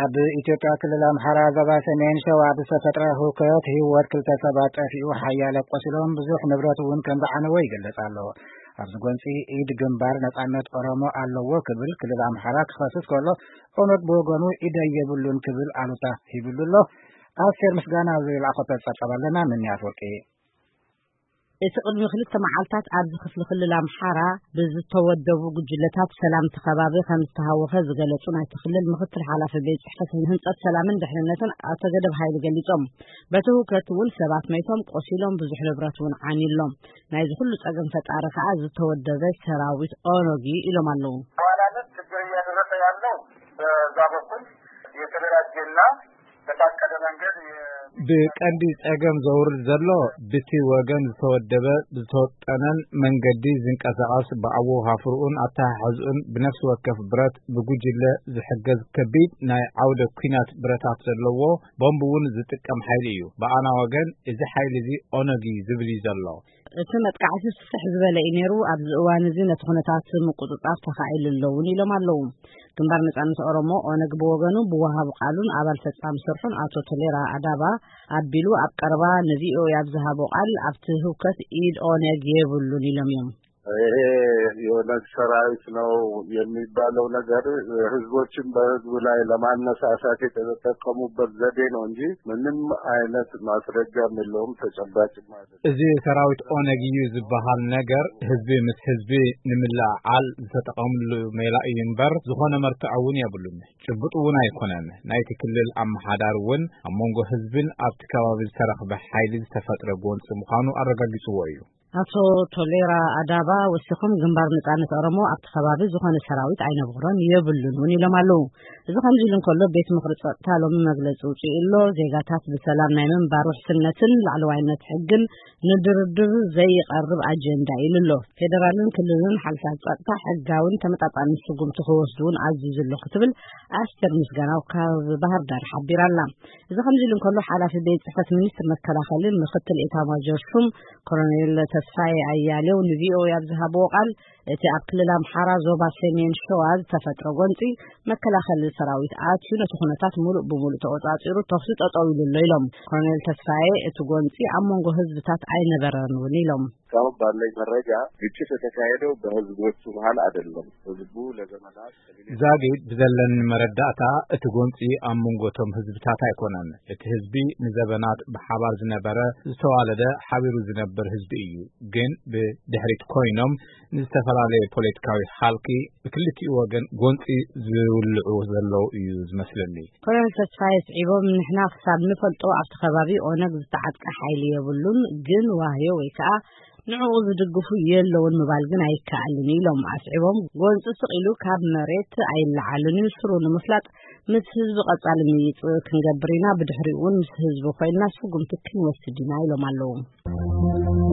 ኣብ ኢትዮጵያ ክልል ኣምሓራ ዞባ ሰሜን ሸዋ ብዝተፈጥረ ህውከት ህይወት ክልተ ሰባት ጠፊኡ፣ ሓያለ ቆሲሎም፣ ብዙሕ ንብረት እውን ከም ዝዓነወ ይገልጽ ኣሎ። ኣብዚ ጎንጺ ኢድ ግንባር ነጻነት ኦሮሞ ኣለዎ ክብል ክልል ኣምሓራ ክኸስስ ከሎ፣ ኦነግ ብወገኑ ኢደይ የብሉን ክብል ኣሉታ ሂብሉ ኣሎ። ኣስቴር ምስጋና ዝለኣኸቶ ጸብጻብ ኣለና፣ ምንያት ወርቂ። እቲ ቅድሚ ክልተ መዓልታት ኣብዚ ክፍሊ ክልል ኣምሓራ ብዝተወደቡ ጉጅለታት ሰላም እቲ ከባቢ ከም ዝተሃወኸ ዝገለጹ ናይቲ ክልል ምክትል ሓላፊ ቤት ጽሕፈት ህንጸት ሰላምን ድሕንነትን ኣቶ ገደብ ሃይሉ ገሊጾም። በቲ ህውከት እውን ሰባት መይቶም፣ ቆሲሎም፣ ብዙሕ ንብረት እውን ዓንዩ ኣሎ። ናይዚ ኩሉ ጸገም ፈጣሪ ከኣ ዝተወደበ ሰራዊት ኦነግ እዩ ኢሎም ኣለዉ። በዋናነት ችግር እያደረሰ ያለው በዛ በኩል የተደራጀና በታቀደ መንገድ የ- ብቀንዲ ጸገም ዘውርድ ዘሎ ብቲ ወገን ዝተወደበ፣ ዝተወጠነን መንገዲ ዝንቀሳቐስ፣ ብኣወፋፍርኡን ኣተሓሕዝኡን ብነፍሲ ወከፍ ብረት ብጉጅለ ዝሕገዝ ከቢድ ናይ ዓውደ ኲናት ብረታት ዘለዎ ቦምብ እውን ዝጥቀም ሓይሊ እዩ። ብኣና ወገን እዚ ሓይሊ እዚ ኦነግ እዩ ዝብል እዩ ዘሎ። እቲ መጥቃዕቲ ስፍሕ ዝበለ እዩ ነይሩ። ኣብዚ እዋን እዚ ነቲ ኩነታት ምቁጽጻር ተኻኢሉ ኣሎ እውን ኢሎም ኣለዉ። ግንባር ነጻነት ኦሮሞ ኦነግ ብወገኑ ብወሃቢ ቃሉን ኣባል ፈጻሚ ስርሑን ኣቶ ቶሌራ ኣዳባ ኣቢሉ ኣብ ቀረባ ንቪኦኤ ኣብ ዝሃቦ ቃል ኣብቲ ህውከት ኢድ ኦነግ የብሉን ኢሎም እዮም። ይሄ የኦነግ ሰራዊት ነው የሚባለው ነገር ህዝቦችን በህዝቡ ላይ ለማነሳሳት የተጠቀሙበት ዘዴ ነው እንጂ ምንም አይነት ማስረጃም የለውም፣ ተጨባጭም አይደለም። እዚ ሰራዊት ኦነግ እዩ ዝበሃል ነገር ህዝቢ ምስ ህዝቢ ንምልዕዓል ዝተጠቐምሉ ሜላ እዩ እምበር ዝኾነ መርትዖ እውን የብሉን። ጭቡጥ እውን ኣይኮነን። ናይቲ ክልል ኣመሓዳሪ እውን ኣብ መንጎ ህዝብን ኣብቲ ከባቢ ዝተረኽበ ሓይሊ ዝተፈጥረ ጎንፂ ምዃኑ ኣረጋጊፅዎ እዩ። ኣቶ ቶሌራ ኣዳባ ወሲኾም ግንባር ነጻነት ኦሮሞ ኣብቲ ከባቢ ዝኾነ ሰራዊት ኣይነበሮን የብሉን እውን ኢሎም ኣለዉ። እዚ ከምዚ ኢሉ እንከሎ ቤት ምኽሪ ጸጥታ ሎሚ መግለጺ ውጽኡ ኣሎ። ዜጋታት ብሰላም ናይ ምንባር ውሕስነትን ላዕለዋይነት ሕግን ንድርድር ዘይቐርብ ኣጀንዳ ኢሉ ኣሎ። ፌደራልን ክልልን ሓይልታት ጸጥታ ሕጋውን ተመጣጣንን ስጉምቲ ክወስዱ እውን ኣዚዙ ኣሎ ክትብል ኣስቴር ምስጋናው ካብ ባህር ዳር ሓቢራ ኣላ። እዚ ከምዚ ኢሉ እንከሎ ሓላፊ ቤት ጽሕፈት ሚኒስትር መከላኸሊ ምክትል ኤታማዦር ሹም ኮሎኔል ተስፋዬ ኣያሌው ንቪኦኤ ኣብ ዝሃብዎ ቃል፣ እቲ ኣብ ክልል ኣምሓራ ዞባ ሰሜን ሸዋ ዝተፈጥረ ጎንጺ መከላኸሊ ሰራዊት ኣትዩ ነቲ ኩነታት ሙሉእ ብሙሉእ ተቆጻጺሩ ተኹሲ ጠጠው ኢሉ ኣሎ ኢሎም። ኮሎኔል ተስፋዬ እቲ ጎንጺ ኣብ መንጎ ህዝብታት ኣይነበረን እውን ኢሎም። እስካሁን ባለኝ መረጃ ግጭት የተካሄደው በህዝቦቹ መሀል አይደለም። ህዝቡ ለዘመናት ዛጊድ ብዘለኒ መረዳእታ እቲ ጎንፂ ኣብ መንጎ እቶም ህዝብታት ኣይኮነን። እቲ ህዝቢ ንዘበናት ብሓባር ዝነበረ ዝተዋለደ ሓቢሩ ዝነብር ህዝቢ እዩ። ግን ብድሕሪት ኮይኖም ንዝተፈላለየ ፖለቲካዊ ሃልኪ ብክልቲኡ ወገን ጎንፂ ዝውልዑ ዘለዉ እዩ ዝመስለኒ። ኮሎኔል ተስፋዬ ስዒቦም ንሕና ክሳብ ንፈልጦ ኣብቲ ከባቢ ኦነግ ዝተዓጥቀ ሓይሊ የብሉን፣ ግን ዋህዮ ወይ ከዓ ንዕኡ ዝድግፉ የለውን ምባል ግን ኣይከኣልን ኢሎም ኣስዒቦም። ጎንፂ ስቕ ኢሉ ካብ መሬት ኣይለዓልን እዩ፣ ስሩ ንምፍላጥ ምስ ህዝቢ ቀፃሊ ምይይጥ ክንገብር ኢና፣ ብድሕሪኡ እውን ምስ ህዝቢ ኮይንና ስጉምቲ ክንወስድ ኢና ኢሎም ኣለዉ።